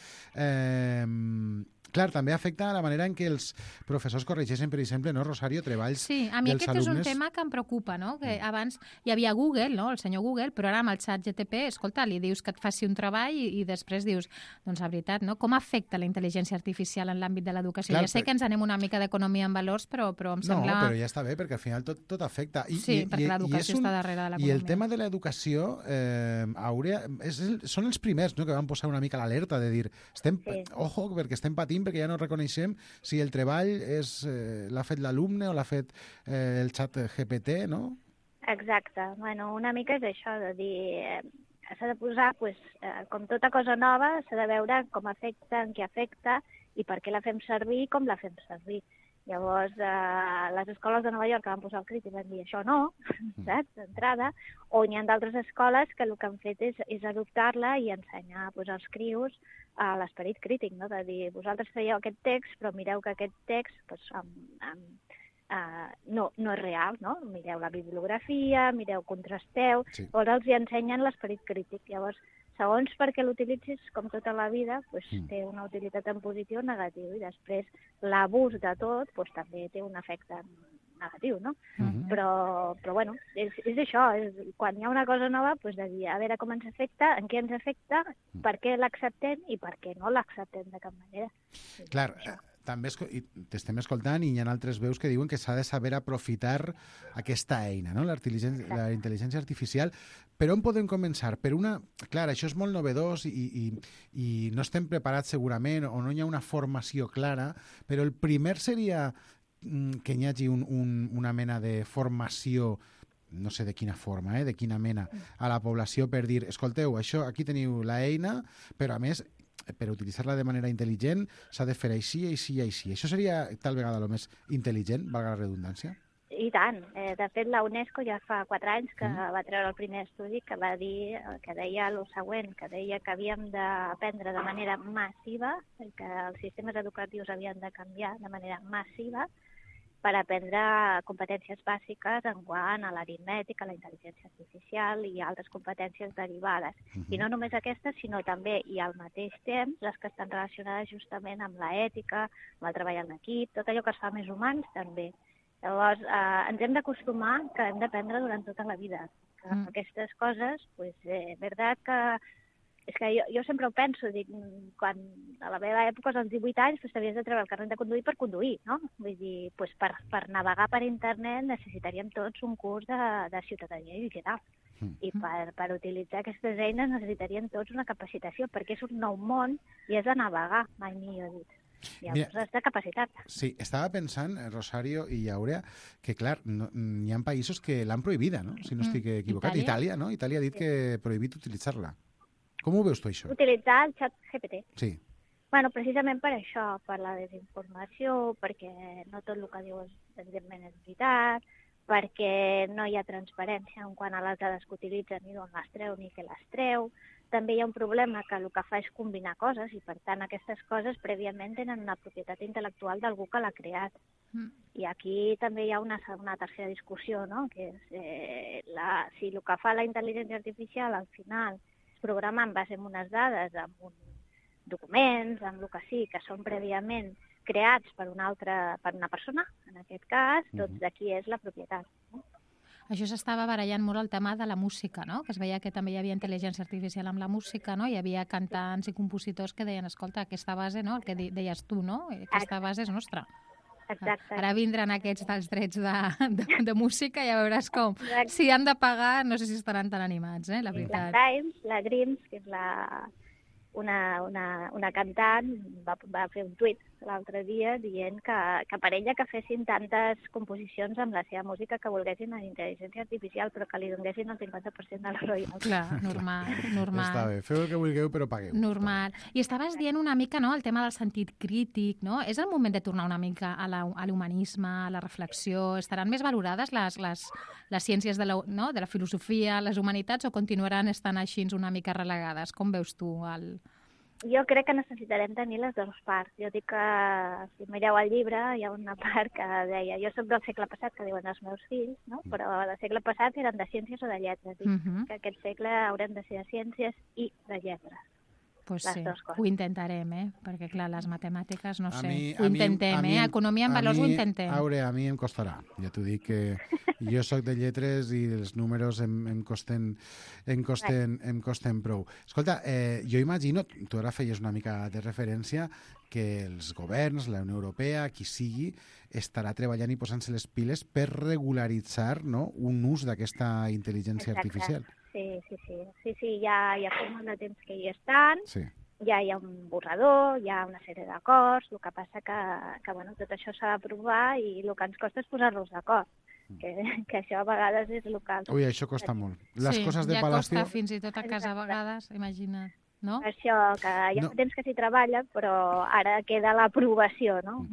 Clar, també afecta la manera en què els professors corregeixen, per exemple, no, Rosario, treballs dels alumnes. Sí, a mi aquest és un tema que em preocupa, no? Que abans hi havia Google, no? El senyor Google, però ara amb el xat GTP, escolta, li dius que et faci un treball i després dius, doncs la veritat, no? Com afecta la intel·ligència artificial en l'àmbit de l'educació? Ja sé que ens anem una mica d'economia en valors, però em sembla... No, però ja està bé, perquè al final tot afecta. Sí, perquè l'educació està darrere de l'economia. I el tema de l'educació, són els primers, no?, que van posar una mica l'alerta de dir, ojo, perquè estem patint, perquè ja no reconeixem si el treball l'ha fet l'alumne o l'ha fet el xat GPT, no? Exacte. Una mica és això, de dir... S'ha de posar, com tota cosa nova, s'ha de veure com afecta, en què afecta i per què la fem servir i com la fem servir. Llavors, les escoles de Nova York que van posar el crític van dir això no, saps, d'entrada, o n'hi ha d'altres escoles que el que han fet és adoptar-la i ensenyar als crios l'esperit crític, no? De dir, vosaltres fèieu aquest text, però mireu que aquest text no és real, no? Mireu la bibliografia, mireu, contrasteu, llavors els hi ensenyen l'esperit crític. Llavors, segons perquè l'utilitzis, com tota la vida, té una utilitat en positiu o negatiu, i després l'abús de tot també té un efecte negatiu, no? Però bueno, és això, quan hi ha una cosa nova, de dir, a veure com ens afecta, en què ens afecta, per què l'acceptem i per què no l'acceptem de cap manera. Clar, també t'estem escoltant i hi ha altres veus que diuen que s'ha de saber aprofitar aquesta eina, no? La intel·ligència artificial. Per on podem començar? Clar, això és molt novedós i no estem preparats segurament o no hi ha una formació clara, però el primer seria que hi hagi una mena de formació, no sé de quina forma, de quina mena, a la població per dir, escolteu, això, aquí teniu l'eina, però a més, per utilitzar-la de manera intel·ligent s'ha de fer així, així i així. Això seria tal vegada el més intel·ligent, valga la redundància? I tant. De fet, la UNESCO ja fa 4 anys que va treure el primer estudi que va dir, que deia el següent, que deia que havíem d'aprendre de manera massiva, que els sistemes educatius havien de canviar de manera massiva per aprendre competències bàsiques en quant a l'aritmètica, la intel·ligència artificial i altres competències derivades. I no només aquestes, sinó també, i al mateix temps, les que estan relacionades justament amb l'ètica, amb el treball en equip, tot allò que es fa més humans també. Llavors, ens hem d'acostumar que hem d'aprendre durant tota la vida. Aquestes coses, és veritat que... És que jo sempre ho penso, dic, quan a la meva època, als 18 anys, t'havies de treure el carnet de conduir per conduir, no? Vull dir, per navegar per internet necessitaríem tots un curs de ciutadania digital. I per utilitzar aquestes eines necessitaríem tots una capacitació, perquè és un nou món i és de navegar, mai millor dit. Llavors has de capacitar-te. Sí, estava pensant, Rosario i Àurea, que clar, hi ha països que l'han prohibida, no? Si no estic equivocat. Itàlia, no? Itàlia ha dit que prohibit utilitzar-la. Com ho veus tu, això? Utilitzar el xat GPT. Sí. Bueno, precisament per això, per la desinformació, perquè no tot el que diu evidentment és veritat, perquè no hi ha transparència en quant a les dades que utilitzen, ni d'on les treu ni què les treu. També hi ha un problema que el que fa és combinar coses i, per tant, aquestes coses prèviament tenen una propietat intel·lectual d'algú que l'ha creat. I aquí també hi ha una tercera discussió, no? Que és si el que fa la intel·ligència artificial al final és programar en base a unes dades, amb uns documents, amb el que sí, que són prèviament creats per una persona, en aquest cas, doncs de qui és la propietat. Això s'estava barallant molt el tema de la música, no? Que es veia que també hi havia intel·ligència artificial amb la música, no? Hi havia cantants i compositors que deien, escolta, aquesta base, no? El que deies tu, no? Aquesta base és nostra. Exacte. Ara vindran aquests dels drets de música i ja veuràs com. Si han de pagar, no sé si estaran tan animats, la veritat. La Grimes, que és una cantant, va fer un tuit l'altre dia dient que per ella que fessin tantes composicions amb la seva música que volguessin en intel·ligència artificial, però que li donessin el 50% de la royalty. Clar, normal. Està bé, feu el que vulgueu, però pagueu. Normal. I estaves dient una mica, no?, el tema del sentit crític, no? És el moment de tornar una mica a l'humanisme, a la reflexió? Estaran més valorades les ciències de la filosofia, les humanitats, o continuaran estant així una mica relegades? Com veus tu Jo crec que necessitarem tenir les dues parts. Jo dic que, si mireu el llibre, hi ha una part que deia jo soc del segle passat, que diuen els meus fills, no? Però del segle passat eren de ciències o de lletres. Que aquest segle haurem de ser de ciències i de lletres. Pues sí, ho intentarem, perquè clar, les matemàtiques, no sé, ho intentem, economia en valors ho intentem. Àurea, a mi em costarà, ja t'ho dic que jo sóc de lletres i els números em costen prou. Escolta, jo imagino, tu ara feies una mica de referència, que els governs, la Unió Europea, qui sigui, estarà treballant i posant-se les piles per regularitzar, no?, un ús d'aquesta intel·ligència artificial. Sí, ja fa molt de temps que hi estan, ja hi ha un borrador, hi ha una sèrie d'acords, el que passa que bueno, tot això s'ha d'aprovar i el que ens costa és posar-nos d'acord, que això a vegades és el que... Ui, això costa molt. Les coses de Palacio... Ja costa fins i tot a casa a vegades, imagina't. No? Això, que hi ha temps que s'hi treballa, però ara queda l'aprovació, no?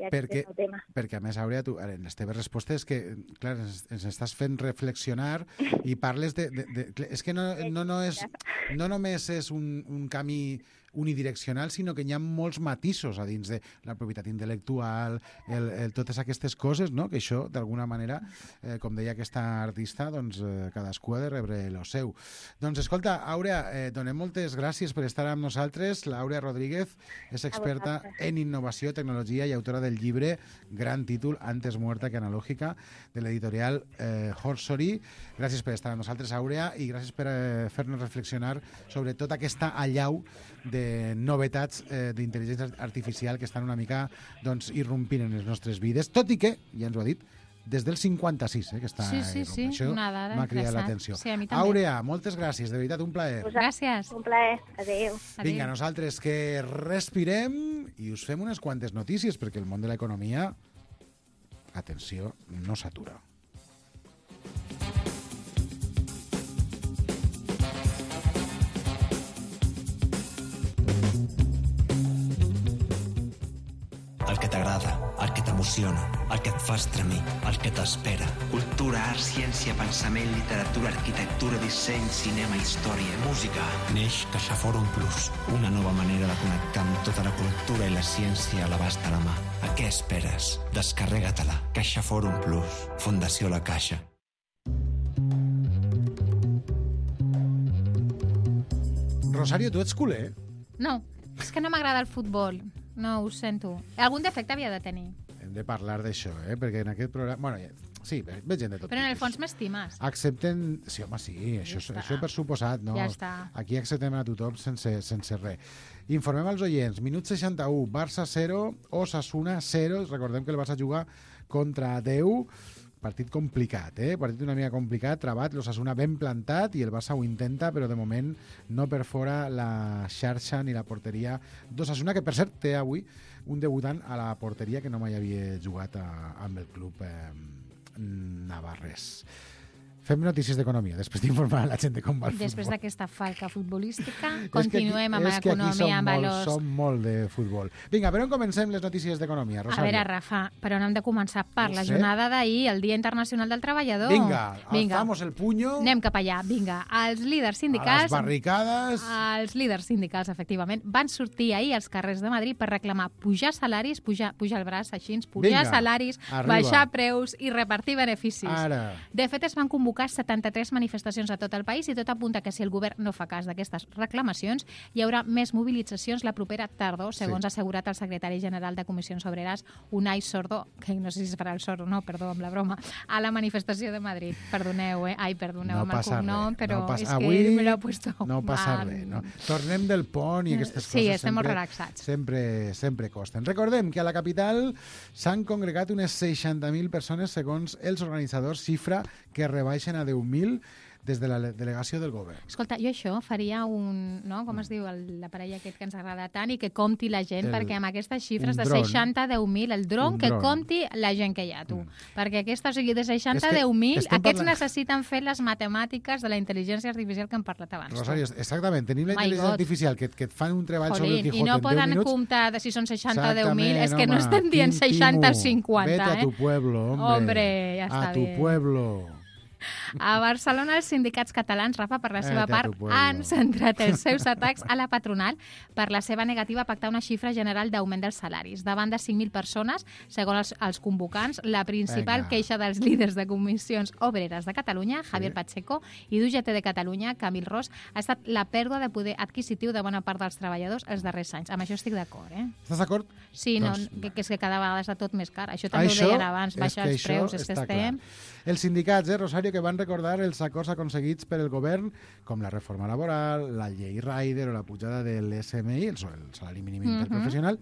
Perquè, a més, Àurea, tu, en les teves respostes, que, clar, ens estàs fent reflexionar i parles de... És que no només és un camí unidireccional, sinó que hi ha molts matisos a dins de la propietat intel·lectual, totes aquestes coses, no? Que això, d'alguna manera, com deia aquesta artista, doncs cadascú ha de rebre el seu. Doncs, escolta, Àurea, donem moltes gràcies per estar amb nosaltres. L'Àurea Rodríguez és experta en innovació, tecnologia i autora del llibre, gran títol, Antes muerta que analógica, de l'editorial Horsory. Gràcies per estar amb nosaltres, Àurea, i gràcies per fer-nos reflexionar sobre tota aquesta allau de novetats d'intel·ligència artificial que estan una mica irrompint en les nostres vides, tot i que, ja ens ho ha dit, des del 56, que està irrompint. Això m'ha cridat l'atenció. Sí, a mi també. Àurea, moltes gràcies, de veritat, un plaer. Gràcies. Un plaer, adéu. Vinga, nosaltres que respirem i us fem unes quantes notícies, perquè el món de l'economia, atenció, no s'atura. El que t'agrada, el que t'emociona, el que et fa estremir, el que t'espera. Cultura, art, ciència, pensament, literatura, arquitectura, disseny, cinema, història, música. Neix CaixaForum Plus, una nova manera de connectar amb tota la cultura i la ciència a l'abast de la mà. A què esperes? Descarrega-te-la. CaixaForum Plus, Fundació La Caixa. Rosario, tu ets culer? No, és que no m'agrada el futbol. No, ho sento. Algun defecte havia de tenir. Hem de parlar d'això, perquè en aquest programa... Bueno, sí, veig gent de tot. Però en el fons m'estimes. Accepten... Sí, home, sí, això per suposat, no? Ja està. Aquí acceptem a tothom sense res. Informem als oients. Minut 61, Barça 0, Osasuna 0. Recordem que el Barça juga contra 10. Partit complicat, partit una mica complicat, trabat, l'Osasuna ben plantat i el Barça ho intenta, però de moment no perfora la xarxa ni la porteria d'Osasuna, que per cert té avui un debutant a la porteria que no mai havia jugat amb el club navarrès. Fem notícies d'economia, després d'informar la gent de com va el futbol. Després d'aquesta falca futbolística, continuem amb l'economia, amb valors. Som molt de futbol. Vinga, per on comencem les notícies d'economia, Rosario? A veure, Rafa, per on hem de començar? Per la jornada d'ahir, el Dia Internacional del Treballador. Vinga, alzamos el puño. Anem cap allà, vinga. Els líders sindicals... A les barricades... Els líders sindicals, efectivament, van sortir ahir als carrers de Madrid per reclamar pujar salaris, pujar el braç així, pujar salaris, baixar preus i repartir beneficis. Ara. De fet, es van convocar 73 manifestacions a tot el país i tot apunta que si el govern no fa cas d'aquestes reclamacions hi haurà més mobilitzacions la propera tardor, segons ha assegurat el secretari general de Comissions Obreres, Unai Sordo, que no sé si es farà el sordo, no, perdó, amb la broma, a la manifestació de Madrid. Perdoneu, perdoneu amb el cognom, però és que me l'he puesto mal. No passa res, no? Tornem del pont i aquestes coses. Sí, estem molt relaxats. Sempre costen. Recordem que a la capital s'han congregat unes 60.000 persones segons els organitzadors, xifra que rebaixen a 10.000 des de la delegació del govern. Escolta, jo això faria un... No? Com es diu l'aparell aquest que ens agrada tant i que compti la gent, perquè amb aquestes xifres de 60 a 10.000, el dron que compti la gent que hi ha, tu. Perquè aquesta, o sigui, de 60 a 10.000, aquests necessiten fer les matemàtiques de la intel·ligència artificial que hem parlat abans. Rosario, exactament, tenim la intel·ligència artificial que et fan un treball sobre el Quijote en 10 minuts. I no poden comptar de si són 60 o 10.000, és que no estem dient 60 o 50, Vete a tu pueblo, hombre. Ja està bien. A tu pueblo. A Barcelona, els sindicats catalans, Rafa, per la seva part, han centrat els seus atacs a la patronal per la seva negativa a pactar una xifra general d'augment dels salaris. Davant de 5.000 persones, segons els convocants, la principal queixa dels líders de comissions obreres de Catalunya, Javier Pacheco, i d'UGT de Catalunya, Camil Ros, ha estat la pèrdua de poder adquisitiu de bona part dels treballadors els darrers anys. Amb això estic d'acord, Estàs d'acord? Sí, que és que cada vegada està tot més car. Això també ho deien abans, baixar els preus, és que estem... Els sindicats, Rosario, que van recordar els acords aconseguits per el govern, com la reforma laboral, la llei Rider o la pujada de l'SMI, el salari mínim interprofessional,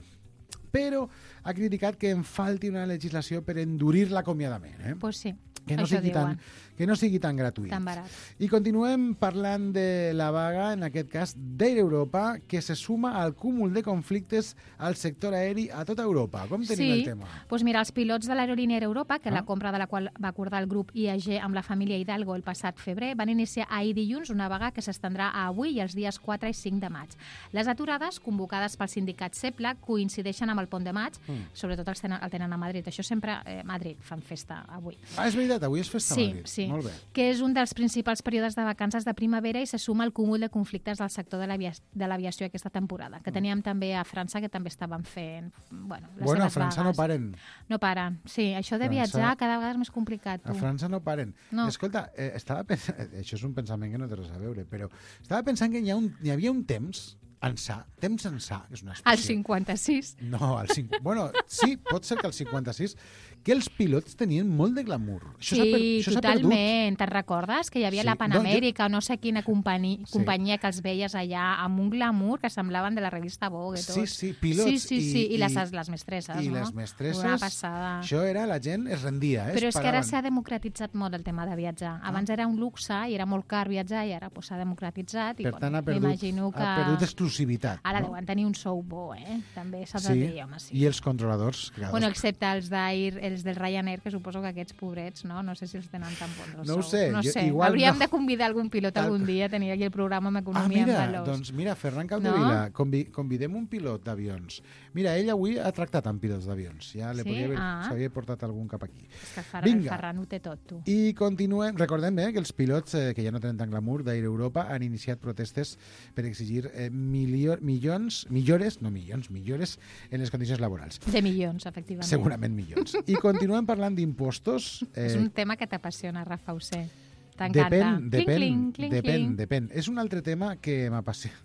però ha criticat que en falti una legislació per endurir l'acomiadament. Pues sí. Que no sigui tan gratuït. Tan barat. I continuem parlant de la vaga, en aquest cas d'Air Europa, que se suma al cúmul de conflictes al sector aeri a tota Europa. Com tenim el tema? Doncs mira, els pilots de l'aerolínia Air Europa, que la compra de la qual va acordar el grup IAG amb la família Hidalgo el passat febrer, van iniciar ahir dilluns una vaga que s'estendrà a avui i els dies 4 i 5 de maig. Les aturades, convocades pel sindicat CEPLA, coincideixen amb el pont de maig, sobretot el tenen a Madrid. Això sempre a Madrid fan festa avui. És veritat, avui és festa a Madrid. Sí, molt bé. Que és un dels principals períodes de vacances de primavera i se suma al cúmul de conflictes del sector de l'aviació aquesta temporada, que teníem també a França, que també estaven fent les seves a França vagues. No paren. No paren, sí. Això de viatjar cada vegada és més complicat. A França no paren. Escolta, estava pensant, això és un pensament que no té res a veure, però estava pensant que hi havia un temps ençà, que és una expressió. Al 56. No, bueno, sí, pot ser que al 56, que els pilots tenien molt de glamour. Això totalment. Te'n recordes? Que hi havia la Panamèrica o no sé quina companyia que els veies allà amb un glamour que semblaven de la revista Vogue. Sí, pilots. Sí, i les mestresses, I les mestresses. Una passada. Això era, la gent es rendia. Però és que ara s'ha democratitzat molt el tema de viatjar. Abans era un luxe i era molt car viatjar i ara s'ha democratitzat. Per tant, ha perdut exclusivitat. Ara deuen tenir un sou bo, També s'ha de dir, home, sí. I els controladors? Excepte els d'Air, els del Ryanair, que suposo que aquests pobrets, no sé si els tenen tan bons. No ho sé. Hauríem de convidar algun pilot algun dia a tenir aquí el programa amb economia en valors. Doncs mira, Ferran Capdevila, convidem un pilot d'avions. Mira, ell avui ha tractat amb pilots d'avions. Ja s'havia portat algun cap aquí. És que el Ferran ho té tot, tu. I continuem. Recordem que els pilots, que ja no tenen tant glamour, d'Air Europa, han iniciat protestes per exigir millores en les condicions laborals. De milions, efectivament. Segurament milions. I continuem parlant d'impostos. És un tema que t'apassiona, Rafa, ho sé. T'encanta. Depèn. És un altre tema que m'apassiona.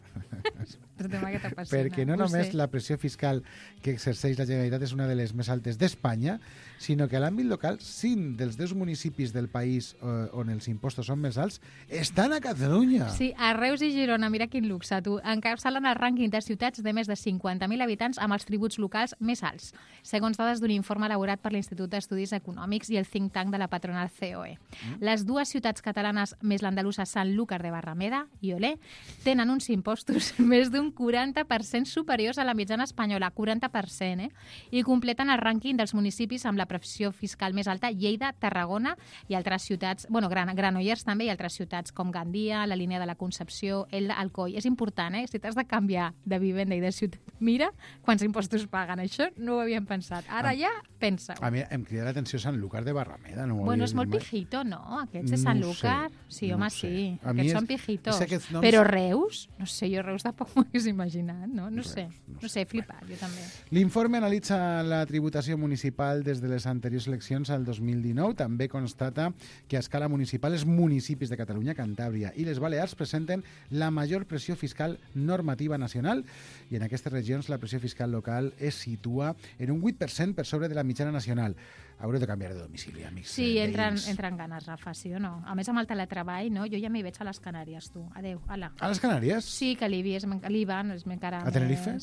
Perquè no només la pressió fiscal que exerceix la Generalitat és una de les més altes d'Espanya, sinó que a l'àmbit local, 5 dels 10 municipis del país on els impostos són més alts estan a Catalunya. Sí, a Reus i Girona, mira quin luxe, tu. Encapçalen el rànquing de ciutats de més de 50.000 habitants amb els tributs locals més alts, segons dades d'un informe elaborat per l'Institut d'Estudis Econòmics i el think tank de la patronal COE. Les dues ciutats catalanes més l'andalusa Sanlúcar de Barrameda i Olé tenen uns impostos més d'un un 40% superiors a la mitjana espanyola, 40%, I completen el rànquing dels municipis amb la pressió fiscal més alta, Lleida, Tarragona i altres ciutats, Granollers també, i altres ciutats com Gandia, la línia de la Concepció, Elda, Alcoi. És important, si t'has de canviar de vivenda i de ciutat, mira quants impostos paguen. Això no ho havíem pensat. Ara ja pensa-ho. A mi em crida l'atenció Sant-Lucar de Barrameda. Bueno, és molt pijito, no? Aquests de Sant-Lucar. Sí, home, sí. Aquests són pijitos. Però Reus? No sé, jo Reus tampoc m'ho hagués imaginat, no? No sé, flipat, jo també. L'informe analitza la tributació municipal des de les anteriors eleccions al 2019. També constata que a escala municipal els municipis de Catalunya, Cantàbria i les Balears presenten la major pressió fiscal normativa nacional i en aquestes regions la pressió fiscal local es situa en un 8% per sobre de la mitjana nacional. Haureu de canviar de domicili, amics. Sí, entren ganes, Rafa, sí o no? A més, amb el teletreball, no? Jo ja m'hi veig a les Canàries, tu. Adéu, ala. A les Canàries? Sí, que l'IVA és encara a Tenerife?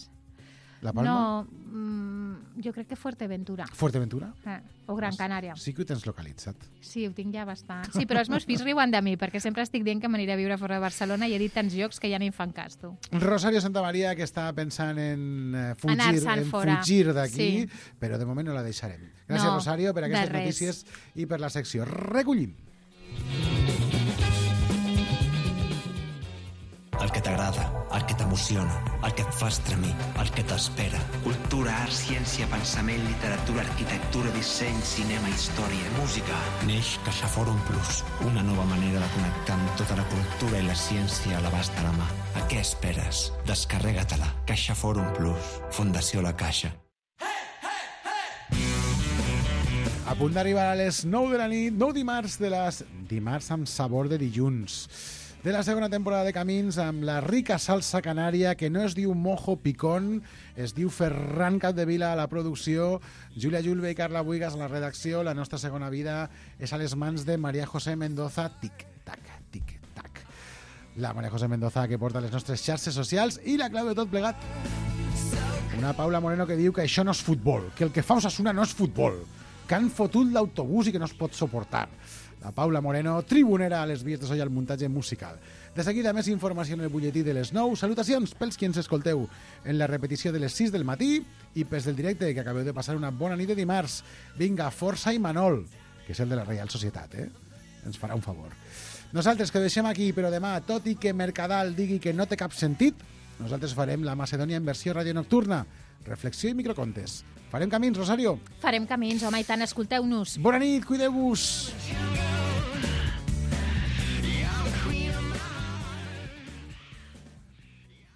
La Palma? No, jo crec que Fuerteventura. Fuerteventura? O Gran Canària. Sí que ho tens localitzat. Sí, ho tinc ja bastant. Sí, però els meus fills riuen de mi, perquè sempre estic dient que m'aniré a viure fora de Barcelona i he dit tants llocs que ja ni em fan cas, tu. Rosario Santamaría, que està pensant en fugir d'aquí, però de moment no la deixarem. Gràcies, Rosario, per aquestes notícies i per la secció. Recollim. El que t'agrada, el que t'emociona, el que et fa estremir, el que t'espera. Cultura, art, ciència, pensament, literatura, arquitectura, disseny, cinema, història, música. Neix CaixaForum Plus, una nova manera de connectar amb tota la cultura i la ciència a l'abast de la mà. A què esperes? Descarrega-te-la. CaixaForum Plus. Fundació La Caixa. A punt d'arribar a les 9 de la nit, 9 dimarts amb sabor de dilluns. De la segona temporada de Camins amb la rica salsa canària que no es diu Mojo Picón, es diu Ferran Capdevila a la producció, Júlia Julve i Carla Buigas a la redacció. La nostra segona vida és a les mans de María José Mendoza. Tic-tac, tic-tac. La María José Mendoza que porta les nostres xarxes socials i la clau de tot plegat. Una Paula Moreno que diu que això no és futbol, que el que fa Osasuna no és futbol, que han fotut l'autobús i que no es pot suportar. La Paula Moreno, tribunera a les vies de so i al muntatge musical. De seguida, més informació en el butlletí de les 9. Salutacions pels qui ens escolteu en la repetició de les 6 del matí i pels del directe, que acabeu de passar una bona nit de dimarts. Vinga, força i Manol, que és el de la Reial Societat, ens farà un favor. Nosaltres que ho deixem aquí, però demà, tot i que Mercadal digui que no té cap sentit, nosaltres farem la Macedònia en versió ràdio nocturna. Reflexió i microcontes. Farem camins, Rosario? Farem camins, home, i tant, escolteu-nos. Bona nit, cuideu-vos.